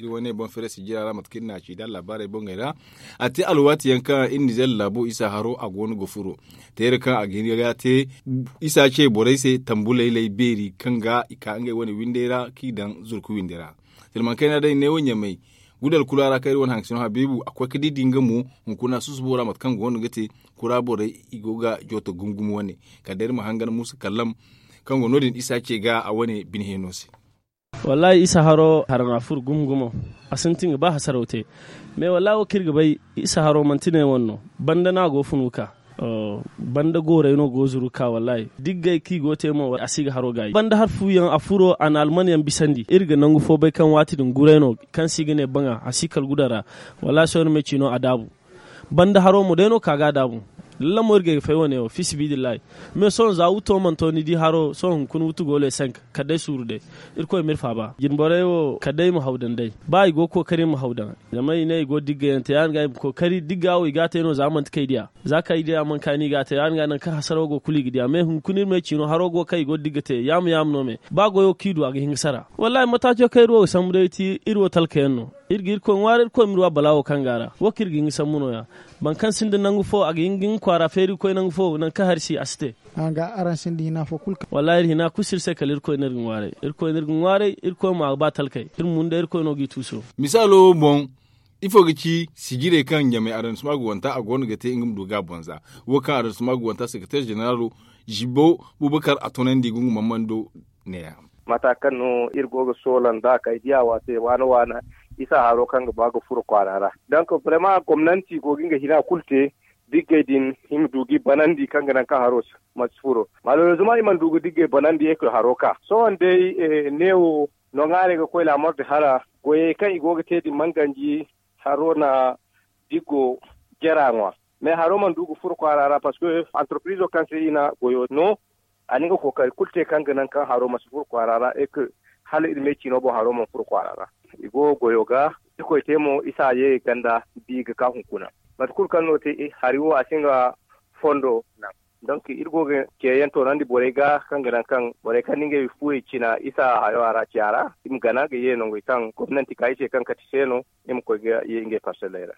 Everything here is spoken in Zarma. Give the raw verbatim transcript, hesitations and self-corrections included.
Iri wane boŋ feere sijira ra mate kaŋ iri n'a ci da laabaarey boŋey ra. A te alwaati yaŋ kaŋ iri nizeer laabo isa haro a go no ga furo teere kaŋ a ga hin ga te isa ce borey se tambu laylay beeri kaŋ ga i ka ngey wane windey ra kaŋ i daŋ zurku winde ra. Silmaŋ kayna day neewo ɲamay gudal kulu a ra kaŋ iri wane haŋ ga sino habiibu a koy ga di di nga mo hunkuna susubo ra mate kaŋ go no ga te kura borey i go ga jooto gumo gumo wane kala day iri ma hangan muusa kallam kaŋ go no- din isa ce ga a wane bine heeno se. Wallaahi isa haro hara no a furo gumo gumo. A sintin ga ba hasaraw te. Mais wallaahi wo kaŋ iri ga bay isa haro manti ne wane no. Banda no a go funu ga ka. Banda goorey no go zuru ga ka wallaahi diggay kaŋ i go te mo a si ga haro gaayi banda hari fu yaŋ a furo a na alman yaŋ bisandi iri ga nangu fo bay kaŋ waati din guray no kaŋ se i ga ne baŋa a si kala guda ra. Wallaahi sohõ iri ma ay ci no a daabu. Banda haro mo day no ka ga a daabu. Lalla mo iri ga ay ga fay wane wo fiisibidillahi. Mais sohõ za wuto mana to ni di haro sohõ hunkuna wutu go le cinq kala day suuru day. Irkoy ma iri faaba jinborey wo kala day i ma haw daŋ day ba i go ga kookari i ma haw daŋ. Zama i ne i go ga digga yaŋ te ya- din ga i ma kookari digga wo i ga a te no za manti kaŋ ay diya za kaŋ ay diya mana ka ni i ga a te ya- din ga nangu kaŋ hasaraw go kulu i ga diya mais hunkuna iri ma ay ci no haro go kaŋ i go ga digga te yaama yaama no me. Ba goyo kaŋ i du a ga hin ga sara. Wallaahi mataaco kaŋ iri wo ga sambu day ti iri wo talka yaŋ no. Iri ga irkoy ŋwaaray irkoy ma iri wa balaawo kaŋ go a ra wo kaŋ iri ga hin ga sambu no- ya. Boro kaŋ sinda nangu fo a ga hin ga nga kwaara feeri ga koy nangu fo nangu kaŋ hari si a si te. Wallaahi iri hina kulu si iri se kala irkoy no iri ga ŋwaaray. Irkoy no iri ga ŋwaaray irkoy mo a ga ba talkey iri mo nda irkoy no g'i tuuso. Misaalo boŋ ifo ga ci sijirey kaŋ ɲamay adamsima ga wanta a go no ga te nga ma du ga a boŋ za. Wo kaŋ adamsima ga wanta sekreteer ženeraalo zibo bubakar a toonandi ga nga mammando ne- ya. Mata kaŋ no iri go ga soola nda kay diya waate waana waana isa haro kaŋ ga ba ga furo kwaara ra. Donk brema gomnanti go ga nga hina kulu te diggey din i ma du ga i banandi kaŋ ga naŋ kaŋ haro ma si furo. Maleerezuma i mana du ga diggey banandi e ka haro ka sohõ day neewo no ŋwaarey ga koy laamar di hala goyey kaŋ i go ga te din man ganji haro na diggo jera ŋwa. Mais haro mana du ga furo kwaara ra parceque antarpirizo kaŋ se i na goyo no a na nga kookari kulu te kaŋ ga naŋ kaŋ haro ma si furo kwaara ra e ka hala iri me ciino boŋ haro mana furo kwaara ra. I go goyo ga irkoy te mo isa ye ganda bi ga ka hunkuna. Mate kulu kaŋ no te hari wo a si nga fondo naŋ. Donk iri go ga ceeyaŋ toonandi borey ga kaŋ ga naŋ kaŋ borey kaŋ na ngey fuwey cina isa hayo a ra ciya ra i ma gana ga ye nangey kaŋ gomnanti ka i se kaŋ kati se no i ma koy ga ye ngey parseley ra.